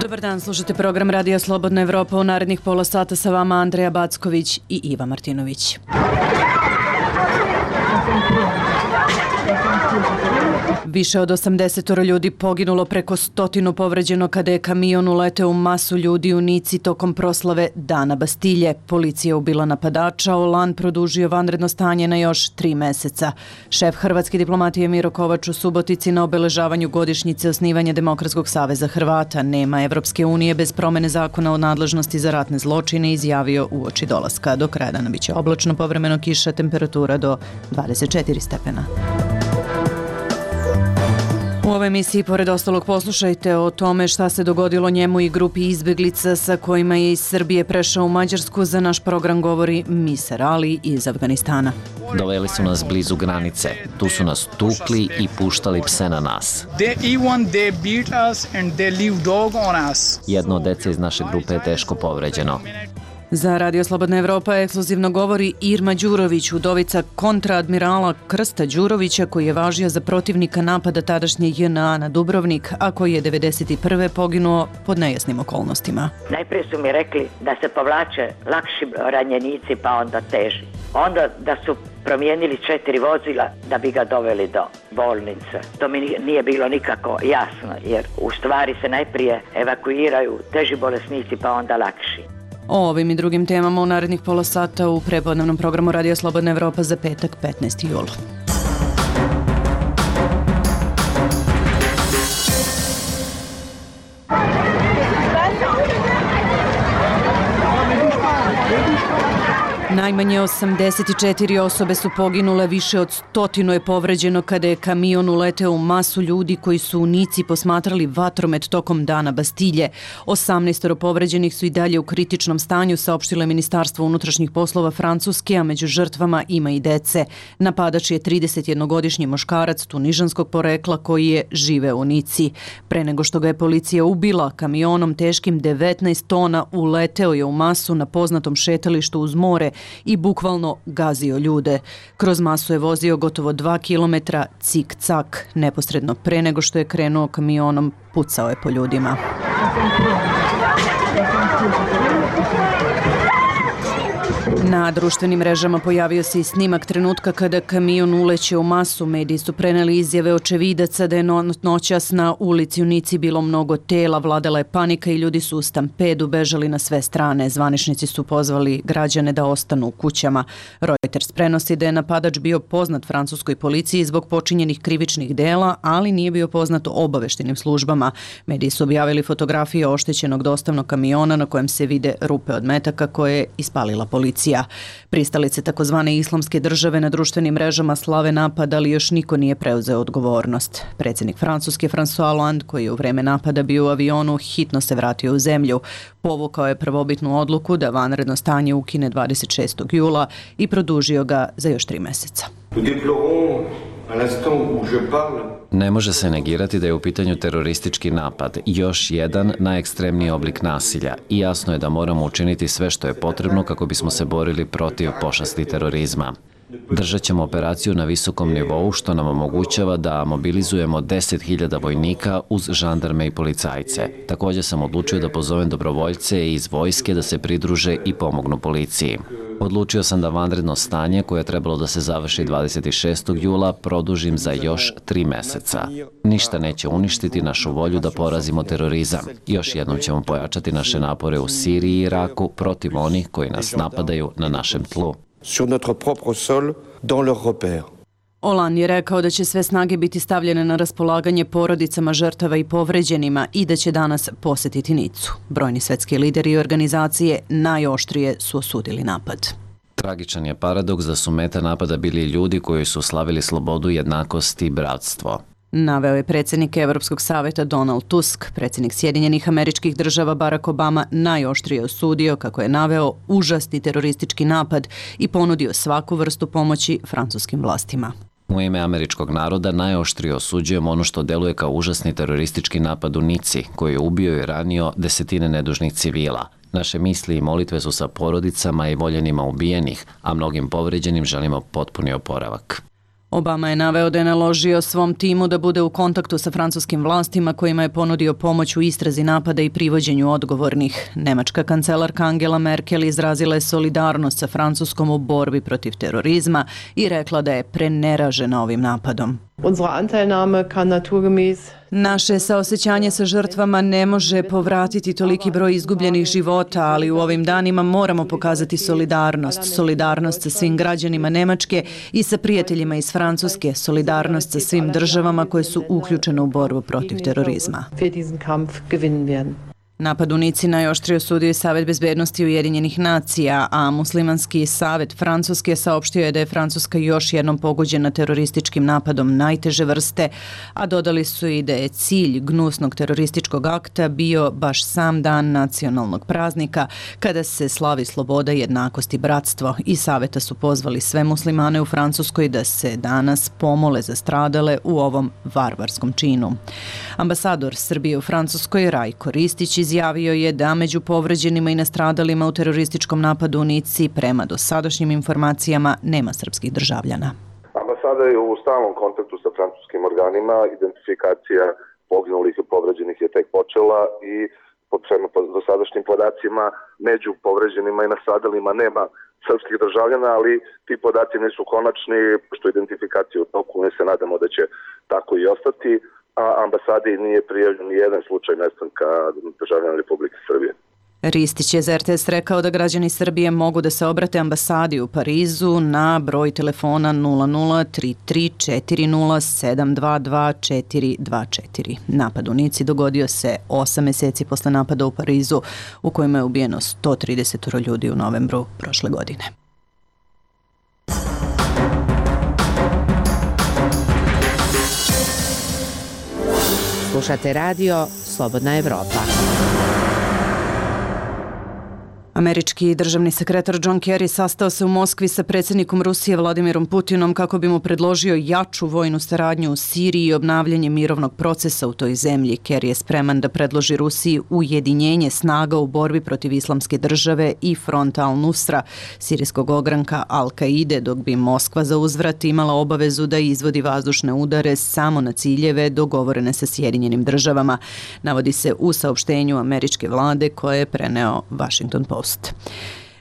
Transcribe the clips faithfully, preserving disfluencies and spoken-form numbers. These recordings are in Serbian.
Dobar dan, slušate program Radija Slobodna Evropa. U narednih pola sata sa vama Andreja Backović i Iva Martinović. Više od osamdesetoro ljudi poginulo, preko stotinu povređeno kada je kamion uleteo u masu ljudi u Nici tokom proslave Dana Bastilje. Policija ubila napadača, Hollande produžio vanredno stanje na još tri meseca. Šef hrvatske diplomatije Miro Kovač u Subotici na obeležavanju godišnjice osnivanja Demokratskog saveza Hrvata nema Evropske unije bez promene zakona o nadležnosti za ratne zločine izjavio uoči dolaska. Do kraja dana biće oblačno, povremeno kiša, temperatura do dvadeset četiri stepena. U ovoj emisiji, pored ostalog, poslušajte o tome šta se dogodilo njemu i grupi izbeglica sa kojima je iz Srbije prešao u Mađarsku. Za naš program govori Miser Ali iz Afganistana. Doveli su nas blizu granice. Tu su nas tukli i puštali pse na nas. Jedno od dece iz naše grupe je teško povređeno. Za Radio Slobodna Evropa ekskluzivno govori Irma Đurović, udovica kontraadmirala Krsta Đurovića, koji je važio za protivnika napada tadašnje J N A na Dubrovnik, a koji je devedeset prve poginuo pod nejasnim okolnostima. Najprije su mi rekli da se povlače lakši ranjenici pa onda teži. Onda da su promijenili četiri vozila da bi ga doveli do bolnice. To mi nije bilo nikako jasno, jer u stvari se najprije evakuiraju teži bolesnici pa onda lakši. O ovim i drugim temama u narednih pola sata u prepodnevnom programu Radio Slobodna Evropa za petak petnaesti jula. Najmanje osamdeset četiri osobe su poginule, više od stotinu je povređeno kada je kamion uleteo u masu ljudi koji su u Nici posmatrali vatromet tokom Dana Bastilje. osamnaest povređenih su i dalje u kritičnom stanju, saopštilo je Ministarstvo unutrašnjih poslova Francuske, a među žrtvama ima i dece. Napadač je tridesetjednogodišnji muškarac tunižanskog porekla koji je živeo u Nici. Pre nego što ga je policija ubila, kamionom teškim devetnaest tona uleteo je u masu na poznatom šetalištu uz more i bukvalno gazio ljude. Kroz masu je vozio gotovo dva kilometra cik-cak. Neposredno pre nego što je krenuo kamionom, pucao je po ljudima. Na društvenim mrežama pojavio se i snimak trenutka kada kamion uleće u masu. Mediji su preneli izjave očevidaca da je noćas na ulici u Nici bilo mnogo tela, vladala je panika i ljudi su u stampedu bežali na sve strane. Zvaničnici su pozvali građane da ostanu u kućama. Reuters prenosi da je napadač bio poznat francuskoj policiji zbog počinjenih krivičnih dela, ali nije bio poznat obaveštenim službama. Mediji su objavili fotografije oštećenog dostavnog kamiona na kojem se vide rupe od metaka koje je ispalila policija. Pristalice takozvane islamske države na društvenim mrežama slave napad, ali još niko nije preuzeo odgovornost. Predsjednik Francuske François Hollande, koji je u vreme napada bio u avionu, hitno se vratio u zemlju. Povukao je prvobitnu odluku da vanredno stanje ukine dvadeset šestog jula i produžio ga za još tri meseca. Ne može se negirati da je u pitanju teroristički napad, još jedan najekstremniji oblik nasilja, i jasno je da moramo učiniti sve što je potrebno kako bismo se borili protiv pošasti terorizma. Držat ćemo operaciju na visokom nivou, što nam omogućava da mobilizujemo deset hiljada vojnika uz žandarme i policajce. Također sam odlučio da pozovem dobrovoljce iz vojske da se pridruže i pomognu policiji. Odlučio sam da vanredno stanje, koje je trebalo da se završi dvadeset šestog jula, produžim za još tri meseca. Ništa neće uništiti našu volju da porazimo terorizam. Još jednom ćemo pojačati naše napore u Siriji i Iraku protiv onih koji nas napadaju na našem tlu. Sur notre propre sol, dans leurs repères. Hollande je rekao da će sve snage biti stavljene na raspolaganje porodicama žrtava i povređenima i da će danas posjetiti Nicu. Brojni svetski lideri i organizacije najoštrije su osudili napad. Tragičan je paradoks da su meta napada bili ljudi koji su slavili slobodu, jednakost i bratstvo. Naveo je predsjednik Evropskog saveta Donald Tusk. Predsjednik Sjedinjenih Američkih Država Barack Obama najoštrije osudio, kako je naveo, užasni teroristički napad i ponudio svaku vrstu pomoći francuskim vlastima. U ime američkog naroda najoštrije osuđujemo ono što deluje kao užasni teroristički napad u Nici, koji je ubio i ranio desetine nedužnih civila. Naše misli i molitve su sa porodicama i voljenima ubijenih, a mnogim povređenim želimo potpuni oporavak. Obama je naveo da je naložio svom timu da bude u kontaktu sa francuskim vlastima kojima je ponudio pomoć u istrazi napada i privođenju odgovornih. Nemačka kancelarka Angela Merkel izrazila je solidarnost sa Francuskom u borbi protiv terorizma i rekla da je preneražena ovim napadom. Unsere Anteilnahme kann naturgemäß Naše saosećanje sa žrtvama ne može povratiti toliki broj izgubljenih života, ali u ovim danima moramo pokazati solidarnost. Solidarnost sa svim građanima Nemačke i sa prijateljima iz Francuske. Solidarnost sa svim državama koje su uključene u borbu protiv terorizma. Napad u Nici najoštrije osudio je Savet bezbednosti Ujedinjenih nacija, a Muslimanski savet Francuske saopštio je da je Francuska još jednom pogođena terorističkim napadom najteže vrste, a dodali su i da je cilj gnusnog terorističkog akta bio baš sam dan nacionalnog praznika, kada se slavi sloboda, jednakost i bratstvo. I saveta su pozvali sve muslimane u Francuskoj da se danas pomole za stradale u ovom varvarskom činu. Ambasador Srbije u Francuskoj Rajko Ristić izjavio je da među povređenima i nastradalima u terorističkom napadu u Nici prema dosadašnjim informacijama nema srpskih državljana. Ambasada je u stalnom kontaktu sa francuskim organima, identifikacija poginulih i povređenih je tek počela i prema dosadašnjim podacima među povređenima i nastradalima nema srpskih državljana, ali ti podaci nisu konačni, što identifikacija u toku, mi se nadamo da će tako i ostati, a ambasadi nije prijavljen ni jedan slučaj nestanka državljana Republike Srbije. Ristić je za R T S rekao da građani Srbije mogu da se obrate ambasadi u Parizu na broj telefona nula nula tri tri četiri nula sedam dva dva četiri dva četiri. Napad u Nici dogodio se osam meseci posle napada u Parizu, u kojima je ubijeno sto trideset ljudi u novembru prošle godine. Slušate radio Slobodna Evropa. Američki državni sekretar John Kerry sastao se u Moskvi sa predsjednikom Rusije Vladimirom Putinom kako bi mu predložio jaču vojnu saradnju u Siriji i obnavljanje mirovnog procesa u toj zemlji. Kerry je spreman da predloži Rusiji ujedinjenje snaga u borbi protiv islamske države i fronta Al-Nusra, sirijskog ogranka Al-Kaide, dok bi Moskva za uzvrat imala obavezu da izvodi vazdušne udare samo na ciljeve dogovorene sa Sjedinjenim državama, navodi se u saopštenju američke vlade koje je preneo Washington Post.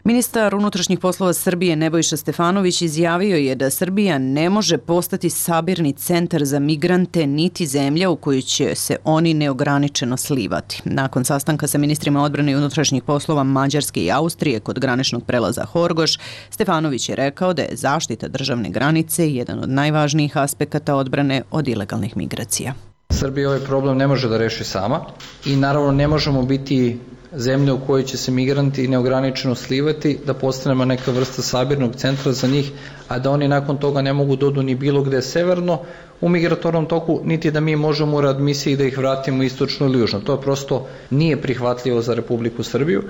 Ministar unutrašnjih poslova Srbije Nebojša Stefanović izjavio je da Srbija ne može postati sabirni centar za migrante niti zemlja u koju će se oni neograničeno slivati. Nakon sastanka sa ministrima odbrane i unutrašnjih poslova Mađarske i Austrije kod graničnog prelaza Horgoš, Stefanović je rekao da je zaštita državne granice jedan od najvažnijih aspekata odbrane od ilegalnih migracija. Srbija ovaj problem ne može da reši sama i naravno ne možemo biti zemlje u kojoj će se migranti neograničeno slivati, da postanemo neka vrsta sabirnog centra za njih, a da oni nakon toga ne mogu dodu ni bilo gde severno u migratornom toku, niti da mi možemo u readmisiji da ih vratimo istočno ili južno. To prosto nije prihvatljivo za Republiku Srbiju.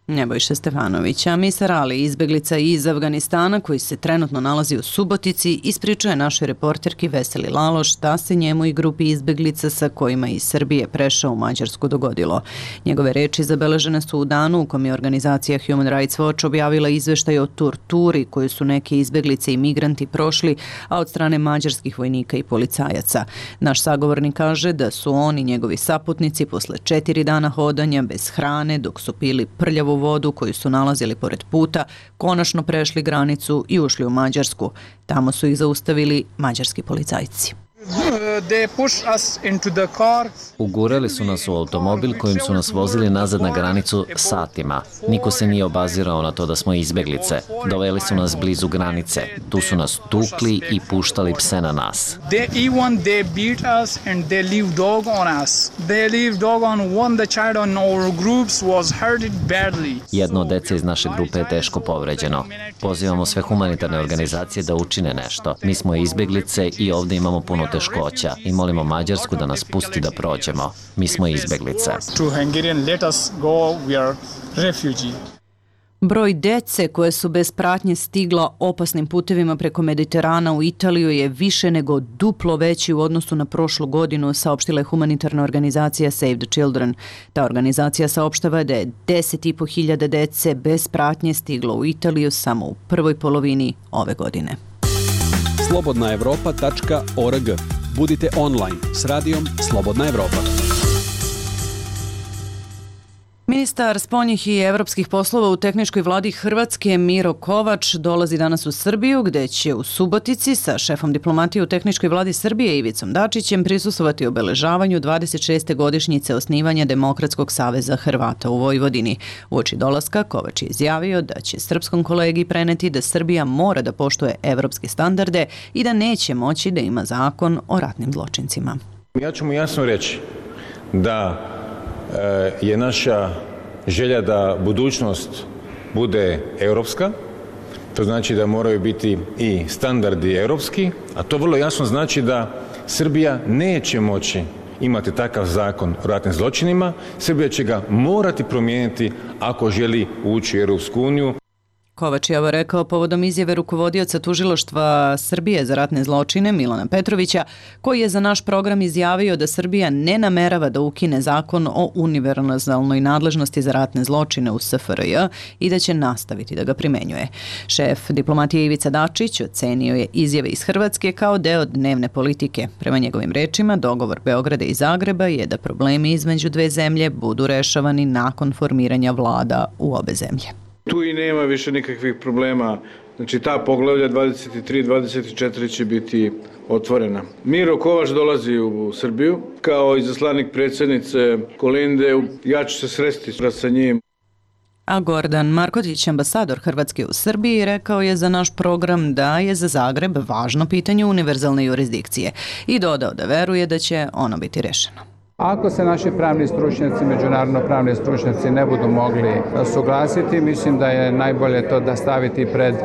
Nebojša Stefanović, a Misar Ali, izbeglica iz Afganistana koji se trenutno nalazi u Subotici, ispričuje našoj reporterki Veseli Laloš šta se njemu i grupi izbeglica sa kojima iz Srbije prešao u Mađarsku dogodilo. Njegove reči zabeležene su u danu u kom je organizacija Human Rights Watch objavila izveštaj o torturi koju su neke izbeglice i migranti prošli, a od strane mađarskih vojnika i policajaca. Naš sagovornik kaže da su oni i njegovi saputnici posle četiri dana hodanja bez hrane, dok su pili prljavu vodu koju su nalazili pored puta, konačno prešli granicu i ušli u Mađarsku. Tamo su ih zaustavili mađarski policajci. Ugurali su nas u automobil kojim su nas vozili nazad na granicu satima. Niko se nije obazirao na to da smo izbeglice. Doveli su nas blizu granice. Tu su nas tukli i puštali pse na nas. Jedno od dece iz naše grupe je teško povređeno. Pozivamo sve humanitarne organizacije da učine nešto. Mi smo izbeglice i ovdje imamo puno teškoća i molimo Mađarsku da nas pusti da prođemo. Mi smo izbeglice. Broj dece koje su bez pratnje stigla opasnim putevima preko Mediterana u Italiju je više nego duplo veći u odnosu na prošlu godinu, saopštila je humanitarna organizacija Save the Children. Ta organizacija saopštava da je deset i po hiljada dece bez pratnje stiglo u Italiju samo u prvoj polovini ove godine. slobodna evropa tačka org. Budite online s radijom Slobodna Evropa. Ministar spoljnih i evropskih poslova u tehničkoj vladi Hrvatske Miro Kovač dolazi danas u Srbiju, gde će u Subotici sa šefom diplomatije u tehničkoj vladi Srbije Ivicom Dačićem prisustvovati obeležavanju dvadeset šeste godišnjice osnivanja Demokratskog saveza Hrvata u Vojvodini. Uoči dolaska Kovač je izjavio da će srpskom kolegi preneti da Srbija mora da poštuje evropske standarde i da neće moći da ima zakon o ratnim zločincima. Ja ću mu jasno reći da je naša želja da budućnost bude europska, to znači da moraju biti i standardi europski, a to vrlo jasno znači da Srbija neće moći imati takav zakon o ratnim zločinima, Srbija će ga morati promijeniti ako želi ući u Europsku uniju. Kovač je ovo rekao povodom izjave rukovodioca tužilaštva Srbije za ratne zločine Milana Petrovića, koji je za naš program izjavio da Srbija ne namerava da ukine zakon o univerzalnoj nadležnosti za ratne zločine u S F R J i da će nastaviti da ga primenjuje. Šef diplomatije Ivica Dačić ocenio je izjave iz Hrvatske kao deo dnevne politike. Prema njegovim rečima, dogovor Beograda i Zagreba je da problemi između dve zemlje budu rešavani nakon formiranja vlada u obe zemlje. Tu i nema više nikakvih problema. Znači ta poglavlja dvadeset tri i dvadeset četiri će biti otvorena. Miro Kovač dolazi u Srbiju kao izaslanik predsjednice Kolinde. Ja ću se sresti sa njim. A Gordan Markotić, ambasador Hrvatske u Srbiji, rekao je za naš program da je za Zagreb važno pitanje univerzalne jurisdikcije i dodao da veruje da će ono biti rešeno. Ako se naši pravni stručnjaci, međunarodno pravni stručnjaci ne budu mogli suglasiti, mislim da je najbolje to da staviti pred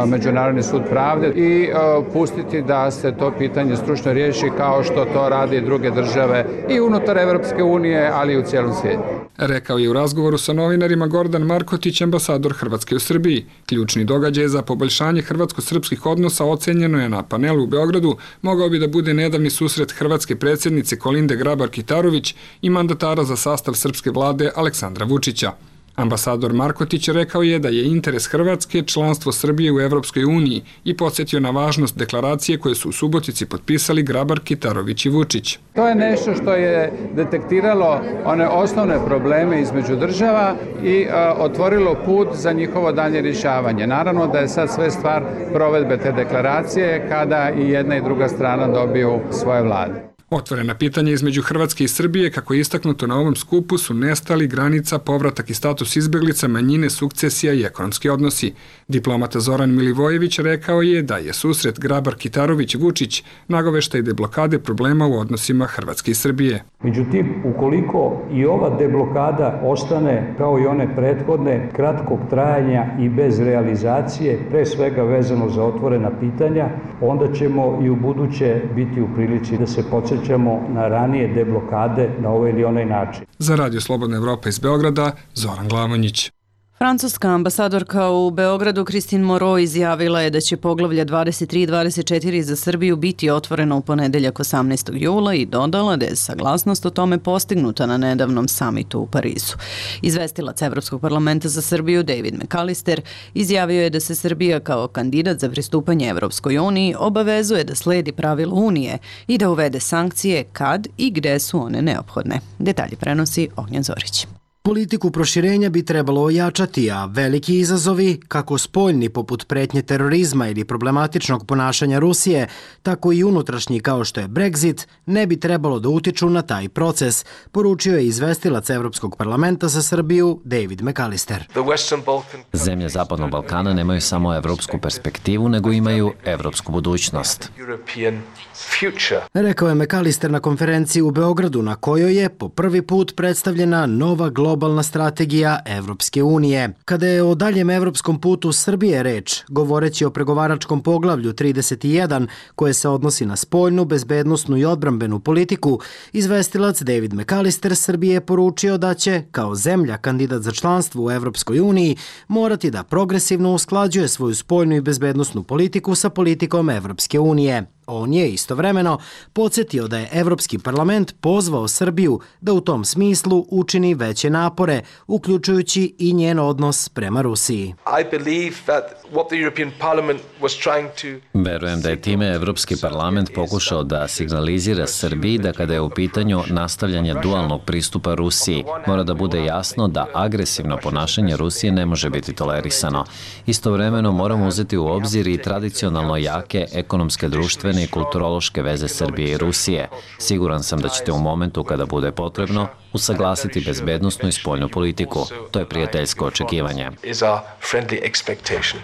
Međunarodni sud pravde i pustiti da se to pitanje stručno riješi kao što to radi druge države i unutar Evropske unije, ali i u cijelom svijetu. Rekao je u razgovoru sa novinarima Gordan Markotić, ambasador Hrvatske u Srbiji. Ključni događaj za poboljšanje hrvatsko-srpskih odnosa ocenjeno je na panelu u Beogradu, mogao bi da bude nedavni susret hrvatske predsjednice Kolinde Grabar-Kitarović i mandatara za sastav srpske vlade Aleksandra Vučića. Ambasador Markotić rekao je da je interes Hrvatske članstvo Srbije u Evropskoj uniji i podsjetio na važnost deklaracije koje su u Subotici potpisali Grabar, Kitarović i Vučić. To je nešto što je detektiralo one osnovne probleme između država i a, otvorilo put za njihovo dalje rješavanje. Naravno da je sad sve stvar provedbe te deklaracije kada i jedna i druga strana dobiju svoje vlade. Otvorena pitanja između Hrvatske i Srbije, kako je istaknuto na ovom skupu, su nestali, granica, povratak i status izbeglica, manjine, sukcesija i ekonomski odnosi. Diplomata Zoran Milivojević rekao je da je susret Grabar-Kitarović-Vučić nagoveštaj deblokade problema u odnosima Hrvatske i Srbije. Međutim, ukoliko i ova deblokada ostane kao i one prethodne, kratkog trajanja i bez realizacije, pre svega vezano za otvorena pitanja, onda ćemo i u buduće biti u prilici da se podsjećamo na ranije deblokade na ovaj ili onaj način. Za Radio Slobodna Evropa iz Beograda, Zoran Glavonjić. Francuska ambasadorka u Beogradu Christine Moreau izjavila je da će poglavlja dvadeset tri i dvadeset četiri za Srbiju biti otvoreno u ponedeljak osamnaestog jula i dodala da je saglasnost o tome postignuta na nedavnom samitu u Parizu. Izvestilac Evropskog parlamenta za Srbiju David McAllister izjavio je da se Srbija kao kandidat za pristupanje Evropskoj uniji obavezuje da sledi pravila Unije i da uvede sankcije kad i gde su one neophodne. Detalji prenosi Ognjen Zorić. Politiku proširenja bi trebalo ojačati, a veliki izazovi, kako spoljni poput pretnje terorizma ili problematičnog ponašanja Rusije, tako i unutrašnji kao što je Brexit, ne bi trebalo da utiču na taj proces, poručio je izvestilac Evropskog parlamenta za Srbiju David McAllister. Zemlje Zapadnog Balkana nemaju samo evropsku perspektivu, nego imaju evropsku budućnost. Rekao je McAllister na konferenciji u Beogradu, na kojoj je po prvi put predstavljena nova globalna strategija Evropske unije. Kada je o daljem evropskom putu Srbije reč, govoreći o pregovaračkom poglavlju trideset jedan, koje se odnosi na spoljnu, bezbednosnu i odbrambenu politiku, izvestilac David McAllister Srbije je poručio da će, kao zemlja kandidat za članstvo u Evropskoj uniji, morati da progresivno usklađuje svoju spoljnu i bezbednosnu politiku sa politikom Evropske unije. On je istovremeno podsjetio da je Evropski parlament pozvao Srbiju da u tom smislu učini veće napore, uključujući i njen odnos prema Rusiji. Verujem da je time Evropski parlament pokušao da signalizira Srbiji da kada je u pitanju nastavljanje dualnog pristupa Rusiji, mora da bude jasno da agresivno ponašanje Rusije ne može biti tolerisano. Istovremeno moramo uzeti u obzir i tradicionalno jake ekonomske, društvene i kulturološke veze Srbije i Rusije. Siguran sam da ćete u momentu kada bude potrebno usaglasiti bezbednosnu i spoljnu politiku. To je prijateljsko očekivanje.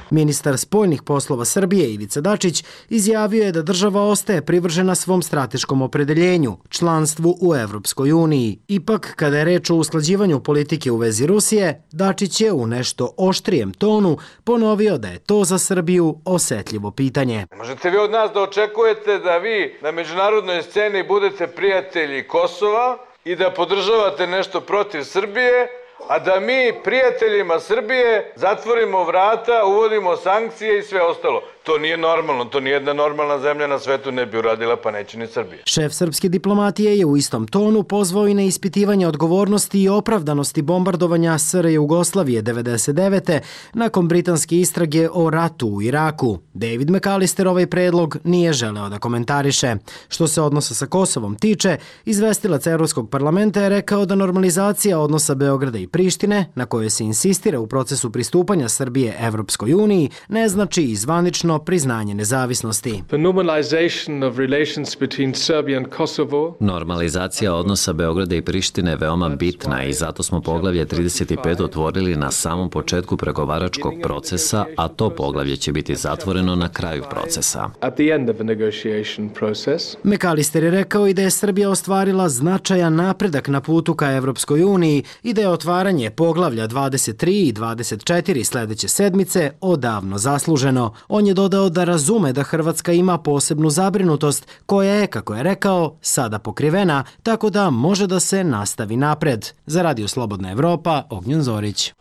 Ministar spoljnih poslova Srbije Ivica Dačić izjavio je da država ostaje privržena svom strateškom opredeljenju, članstvu u Evropskoj uniji. Ipak, kada je reč o usklađivanju politike u vezi Rusije, Dačić je u nešto oštrijem tonu ponovio da je to za Srbiju osetljivo pitanje. Možete vi od nas da očekujete da vi na međunarodnoj sceni budete prijatelji Kosova i da podržavate nešto protiv Srbije, a da mi prijateljima Srbije zatvorimo vrata, uvodimo sankcije i sve ostalo. To nije normalno, to nijedna normalna zemlja na svetu ne bi uradila, pa neće ni Srbija. Šef srpske diplomatije je u istom tonu pozvao i na ispitivanje odgovornosti i opravdanosti bombardovanja S R Jugoslavije devedeset devete nakon britanske istrage o ratu u Iraku. David McAllister ovaj predlog nije želeo da komentariše. Što se odnosa sa Kosovom tiče, izvestilac Evropskog parlamenta je rekao da normalizacija odnosa Beograda i Prištine, na kojoj se insistira u procesu pristupanja Srbije Evropskoj uniji, ne znači i zvanično priznanje nezavisnosti. Normalizacija odnosa Beograda i Prištine je veoma bitna i zato smo poglavlje trideset pet otvorili na samom početku pregovaračkog procesa, a to poglavlje će biti zatvoreno na kraju procesa. McAllister je rekao i da je Srbija ostvarila značajan napredak na putu ka Evropskoj uniji i da je otvaranje poglavlja dvadeset tri i dvadeset četiri sledeće sedmice odavno zasluženo. On je dodao da razume da Hrvatska ima posebnu zabrinutost koja je, kako je rekao, sada pokrivena, tako da može da se nastavi napred. Za Radio Slobodna Evropa, Ognjen Zorić.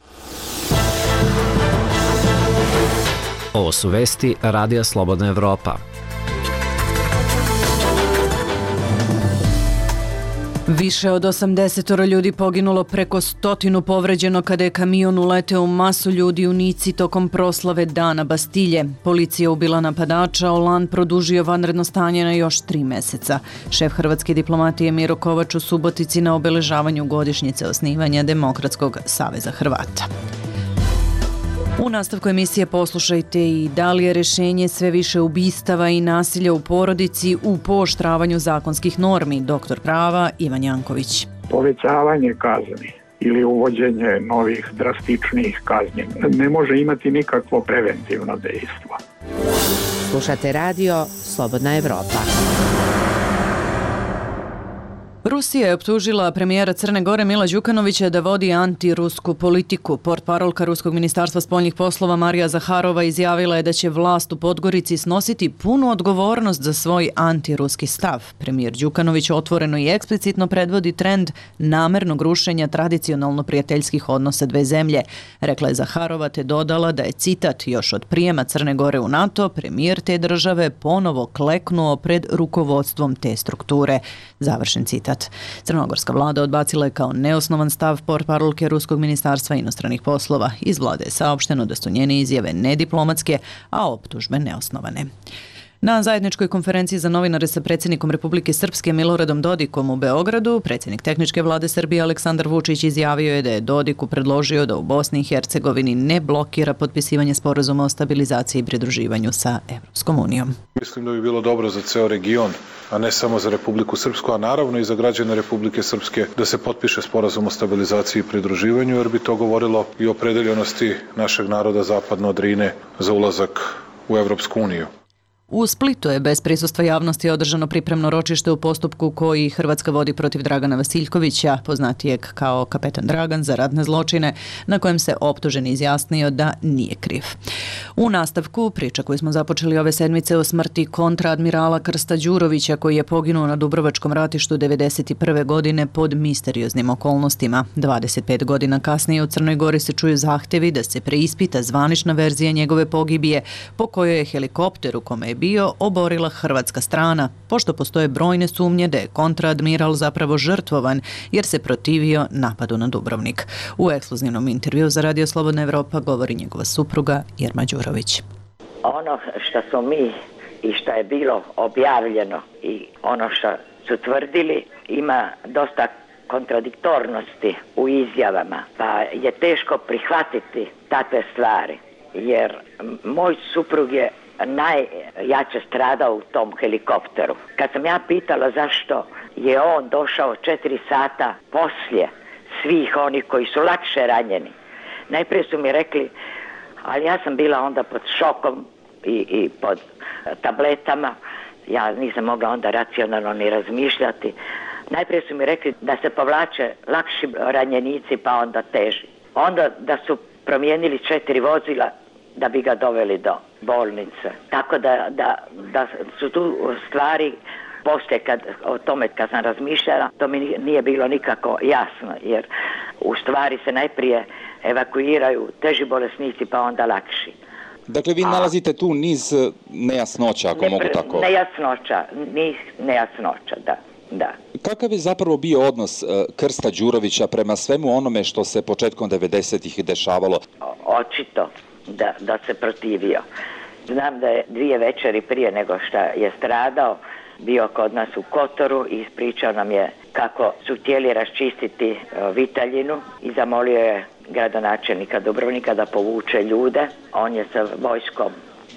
Ovo su vesti Radija Slobodna Evropa. Više od osamdeset ljudi poginulo, preko stotinu povređeno kada je kamion uleteo u masu ljudi u Nici tokom proslave Dana Bastilje. Policija ubila napadača, Oland produžio vanredno stanje na još tri meseca. Šef hrvatske diplomatije Miro Kovač u Subotici na obeležavanju godišnjice osnivanja Demokratskog saveza Hrvata. U nastavku emisije poslušajte i da li je rešenje sve više ubistava i nasilja u porodici u pooštravanju zakonskih normi. Doktor prava Ivan Janković. Povećavanje kazni ili uvođenje novih drastičnijih kazni ne može imati nikakvo preventivno dejstvo. Slušate radio Slobodna Evropa. Rusija je optužila premijera Crne Gore Mila Đukanovića da vodi antirusku politiku. Portparolka Ruskog ministarstva spoljnih poslova Marija Zaharova izjavila je da će vlast u Podgorici snositi punu odgovornost za svoj antiruski stav. Premijer Đukanović otvoreno i eksplicitno predvodi trend namernog rušenja tradicionalno prijateljskih odnosa dve zemlje. Rekla je Zaharova te dodala da je, citat, još od prijema Crne Gore u NATO, premijer te države ponovo kleknuo pred rukovodstvom te strukture. Završen citat. Crnogorska vlada odbacila je kao neosnovan stav portparolke Ruskog ministarstva inostranih poslova. Iz vlade je saopšteno da su njene izjave nediplomatske, a optužbe neosnovane. Na zajedničkoj konferenciji za novinare sa predsjednikom Republike Srpske Miloradom Dodikom u Beogradu, predsjednik tehničke vlade Srbije Aleksandar Vučić izjavio je da je Dodiku predložio da u Bosni i Hercegovini ne blokira potpisivanje sporazuma o stabilizaciji i pridruživanju sa Evropskom unijom. Mislim da bi bilo dobro za ceo region, a ne samo za Republiku Srpsku, a naravno i za građane Republike Srpske, da se potpiše sporazum o stabilizaciji i pridruživanju, jer bi to govorilo i o opredeljenosti našeg naroda zapadno od Drine za ulazak u Evropsku uniju. U Splitu je bez prisustva javnosti održano pripremno ročište u postupku koji Hrvatska vodi protiv Dragana Vasiljkovića, poznatijeg kao kapetan Dragan, za ratne zločine, na kojem se optuženi izjasnio da nije kriv. U nastavku priča koju smo započeli ove sedmice o smrti kontraadmirala Krsta Đurovića, koji je poginuo na Dubrovačkom ratištu devedeset prve godine pod misterioznim okolnostima. dvadeset pet godina kasnije u Crnoj Gori se čuju zahtevi da se preispita zvanična verzija njegove pogibije, po kojoj je helikopter u kome je bio oborila hrvatska strana, pošto postoje brojne sumnje da je kontraadmiral zapravo žrtvovan jer se protivio napadu na Dubrovnik. U ekskluzivnom intervju za Radio Slobodna Evropa govori njegova supruga Irma Đurović. Ono što smo mi i što je bilo objavljeno i ono što su tvrdili ima dosta kontradiktornosti u izjavama, pa je teško prihvatiti takve stvari, jer moj suprug je najjače stradao u tom helikopteru. Kad sam ja pitala zašto je on došao četiri sata poslije svih onih koji su lakše ranjeni, najprije su mi rekli, ali ja sam bila onda pod šokom i, i pod tabletama, ja nisam mogla onda racionalno ni razmišljati. Najprije su mi rekli da se povlače lakši ranjenici pa onda teži. Onda da su promijenili četiri vozila da bi ga doveli do bolnice. Tako da, da, da su tu stvari, poslije kad, o tome kad sam razmišljala, to mi nije bilo nikako jasno, jer u stvari se najprije evakuiraju teži bolesnici pa onda lakši. Dakle, vi nalazite tu niz nejasnoća, ako ne, mogu tako. Nejasnoća, niz nejasnoća, da. Da. Kakav je zapravo bio odnos Krsta Đurovića prema svemu onome što se početkom devedesetih dešavalo? Očito da, da se protivio. Znam da je dvije večeri prije nego što je stradao bio kod nas u Kotoru i ispričao nam je kako su htjeli raščistiti Vitaljinu i zamolio je gradonačelnika Dubrovnika da povuče ljude. On je sa vojskom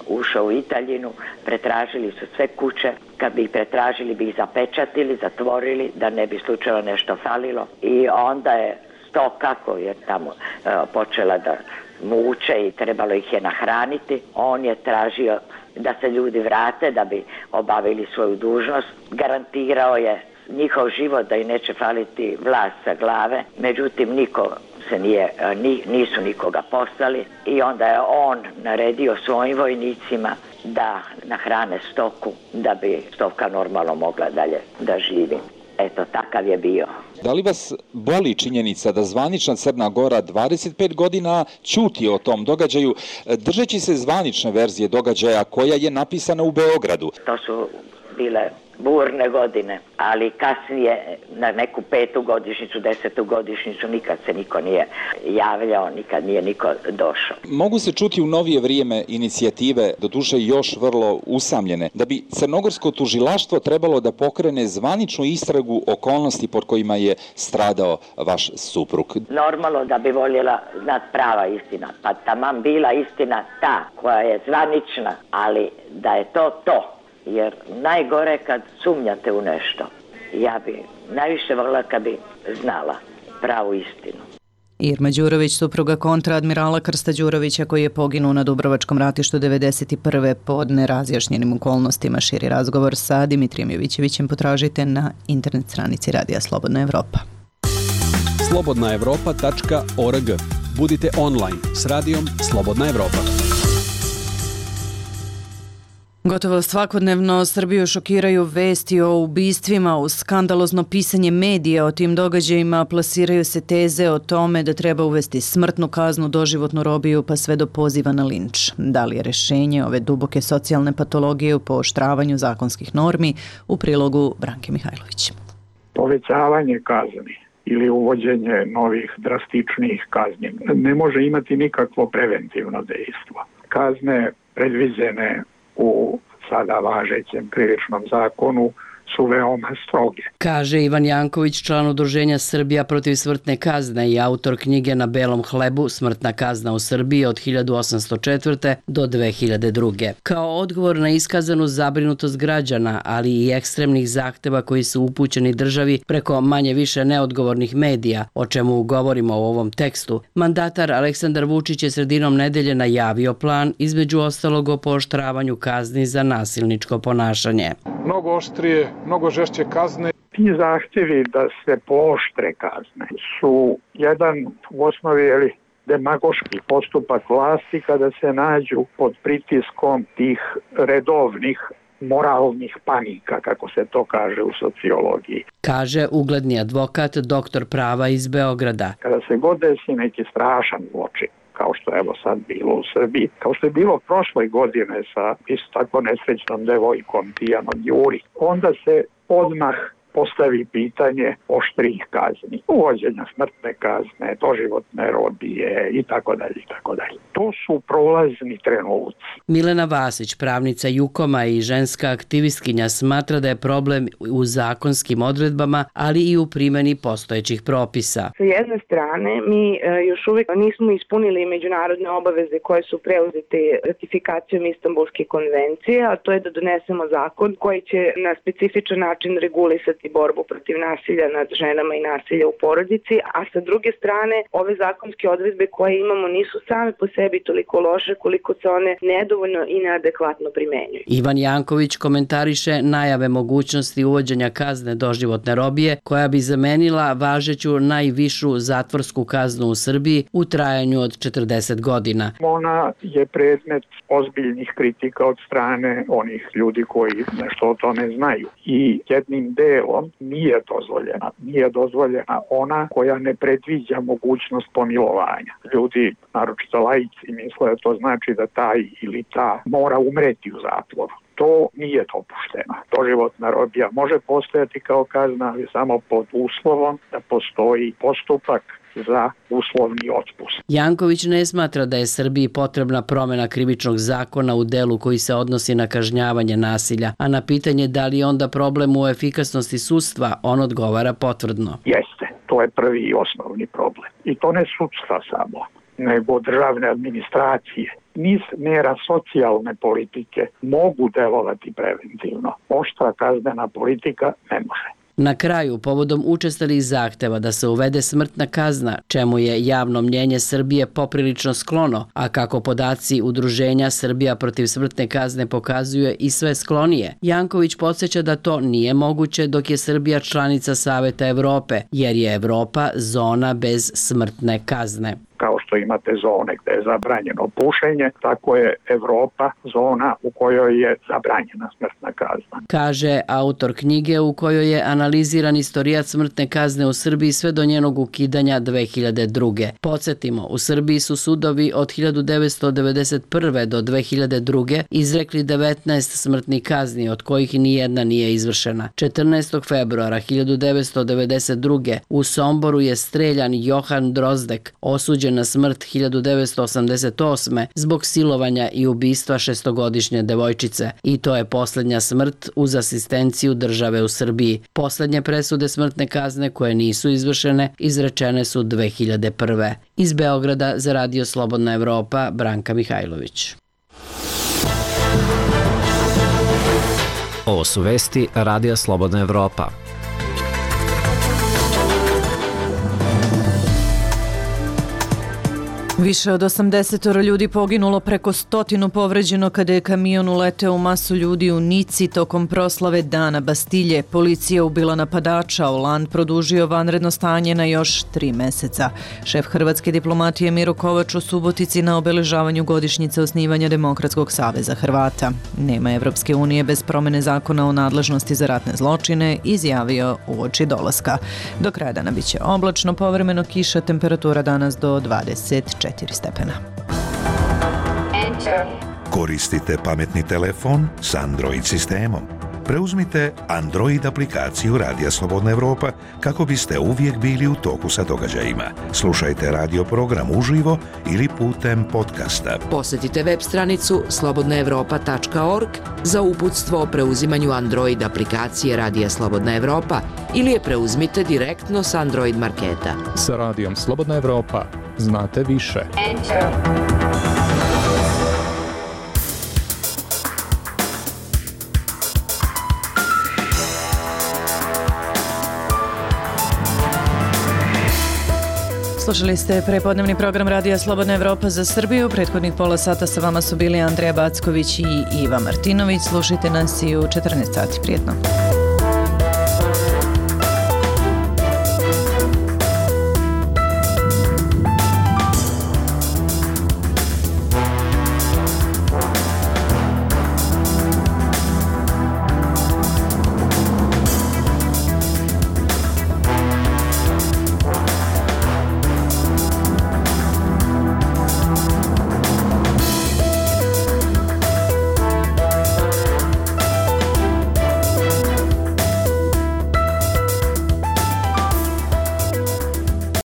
ušao u Italjinu, pretražili su sve kuće, kad bi ih pretražili bi ih zapečatili, zatvorili da ne bi slučajno nešto falilo i onda je stoka koja je tamo e, počela da muče i trebalo ih je nahraniti, on je tražio da se ljudi vrate da bi obavili svoju dužnost, garantirao je njihov život da i neće faliti vlas sa glave, međutim niko se nije, nisu nikoga poslali i onda je on naredio svojim vojnicima da nahrane stoku da bi stoka normalno mogla dalje da živi. Eto, takav je bio. Da li vas boli činjenica da zvanična Crna Gora dvadeset pet godina ćuti o tom događaju, držeći se zvanične verzije događaja koja je napisana u Beogradu? To su bile burne godine, ali kasnije na neku petu godišnjicu, desetu godišnjicu nikad se niko nije javljao, nikad nije niko došao. Mogu se čuti u novije vrijeme inicijative, doduše još vrlo usamljene, da bi crnogorsko tužilaštvo trebalo da pokrene zvaničnu istragu okolnosti pod kojima je stradao vaš suprug. Normalno da bi voljela znat prava istina, pa taman bila istina ta koja je zvanična, ali da je to to. Jer najgore kad sumnjate u nešto. Ja bi najviše volila kad bi znala pravu istinu. Irma Đurović, supruga kontraadmirala Krsta Đurovića koji je poginuo na Dubrovačkom ratištu devedeset prve pod nerazjašnjenim okolnostima. Širi razgovor sa Dimitrijem Jovićevićem potražite na internet stranici Radija Slobodna Evropa. slobodna evropa tačka org. Budite online s Radijom Slobodna Evropa. Gotovo svakodnevno Srbiju šokiraju vesti o ubistvima, uz skandalozno pisanje medija o tim događajima plasiraju se teze o tome da treba uvesti smrtnu kaznu, doživotnu robiju pa sve do poziva na linč. Da li je rešenje ove duboke socijalne patologije u pooštravanju zakonskih normi? U prilogu Branke Mihajlović. Povećavanje kazni ili uvođenje novih drastičnijih kazni ne može imati nikakvo preventivno dejstvo. Kazne predviđene u sada važećem krivičnom zakonu su veoma stroge. Kaže Ivan Janković, član udruženja Srbija protiv smrtne kazne i autor knjige Na belom hlebu Smrtna kazna u Srbiji od hiljadu osamsto četvrte do dve hiljade druge. Kao odgovor na iskazanu zabrinutost građana, ali i ekstremnih zahteva koji su upućeni državi preko manje više neodgovornih medija, o čemu govorimo u ovom tekstu, mandatar Aleksandar Vučić je sredinom nedelje najavio plan, između ostalog o pooštravanju kazni za nasilničko ponašanje. Mnogo oštrije, mnogo žešće kazne. Ti zahtjevi da se pooštre kazne su jedan u osnovi ili demagoški postupak vlasti kada se nađu pod pritiskom tih redovnih moralnih panika, kako se to kaže u sociologiji. Kaže ugledni advokat, doktor prava iz Beograda. Kada se god desi neki strašan zločin, kao što je evo sad bilo u Srbiji, kao što je bilo prošle godine sa isto tako nesrećnom devojkom Tijanom Juri, onda se odmah postavi pitanje oštrih kazni, uvođenja smrtne kazne, doživotne robije i tako dalje i tako dalje. To su prolazni trenuci. Milena Vasić, pravnica Jukoma i ženska aktivistkinja, smatra da je problem u zakonskim odredbama, ali i u primjeni postojećih propisa. Sa jedne strane, mi još uvijek nismo ispunili međunarodne obaveze koje su preuzete ratifikacijom Istanbulske konvencije, a to je da donesemo zakon koji će na specifičan način regulisati i borbu protiv nasilja nad ženama i nasilja u porodici, a sa druge strane ove zakonske odredbe koje imamo nisu same po sebi toliko loše koliko se one nedovoljno i neadekvatno primenjuju. Ivan Janković komentariše najave mogućnosti uvođenja kazne doživotne robije koja bi zamenila važeću najvišu zatvorsku kaznu u Srbiji u trajanju od četrdeset godina. Ona je predmet ozbiljnih kritika od strane onih ljudi koji nešto o tome znaju i jednim delom nije dozvoljena. Nije dozvoljena ona koja ne predviđa mogućnost pomilovanja. Ljudi, naročito laici, misle da to znači da taj ili ta mora umreti u zatvoru. To nije dopušteno. Doživotna robija može postojati kao kazna, ali samo pod uslovom da postoji postupak za uslovni otpust. Janković ne smatra da je Srbiji potrebna promjena krivičnog zakona u delu koji se odnosi na kažnjavanje nasilja, a na pitanje da li je onda problem u efikasnosti sudstva, on odgovara potvrdno. Jeste, to je prvi i osnovni problem. I to ne sudstva samo, nego državne administracije. Niz mera socijalne politike mogu delovati preventivno. Oštra kaznena politika ne može. Na kraju, povodom učestalih zahteva da se uvede smrtna kazna, čemu je javno mnjenje Srbije poprilično sklono, a kako podaci udruženja Srbija protiv smrtne kazne pokazuje i sve sklonije, Janković podsjeća da to nije moguće dok je Srbija članica Saveta Evrope, jer je Evropa zona bez smrtne kazne. Kao što imate zone gde je zabranjeno pušenje, tako je Evropa zona u kojoj je zabranjena smrtna kazna. Kaže autor knjige u kojoj je analiziran istorijat smrtne kazne u Srbiji sve do njenog ukidanja dve hiljade druge. Podsjetimo, u Srbiji su sudovi od hiljadu devetsto devedeset prve do dve hiljade druge izrekli devetnaest smrtnih kazni, od kojih nijedna nije izvršena. četrnaestog februara hiljadu devetsto devedeset druge u Somboru je streljan Johan Drozdek, osuđen na smrt hiljadu devetsto osamdeset osme zbog silovanja i ubistva šestogodišnje devojčice. I to je posljednja smrt uz asistenciju države u Srbiji. Posljednje presude smrtne kazne koje nisu izvršene izrečene su dve hiljade prve. Iz Beograda za Radio Slobodna Evropa, Branka Mihajlović. Ovo su vesti Radija Slobodna Evropa. Više od osamdeset ljudi poginulo, preko stotinu povređeno kada je kamion uleteo u masu ljudi u Nici tokom proslave Dana Bastilje. Policija ubila napadača, Oland produžio vanredno stanje na još tri meseca. Šef hrvatske diplomatije Miro Kovač u Subotici na obeležavanju godišnjice osnivanja Demokratskog saveza Hrvata. Nema Evropske unije bez promene zakona o nadležnosti za ratne zločine, izjavio uoči dolaska. Do kraja dana biće oblačno, povremeno kiša, temperatura danas do dvadeset četiri stepena. Koristite pametni telefon s Android sistemom. Preuzmite Android aplikaciju Radija Slobodna Evropa kako biste uvijek bili u toku sa događajima. Slušajte radio program uživo ili putem podcasta. Posjetite web stranicu slobodna evropa tačka org za uputstvo o preuzimanju Android aplikacije Radija Slobodna Evropa ili je preuzmite direktno s Android marketa. Sa Radijom Slobodna Evropa znate više. Enter. Slušali ste prepodnevni program Radija Slobodna Evropa za Srbiju. Prethodnih pola sata sa vama su bili Andreja Backović i Iva Martinović. Slušajte nas i u četrnaest sati. Prijetno.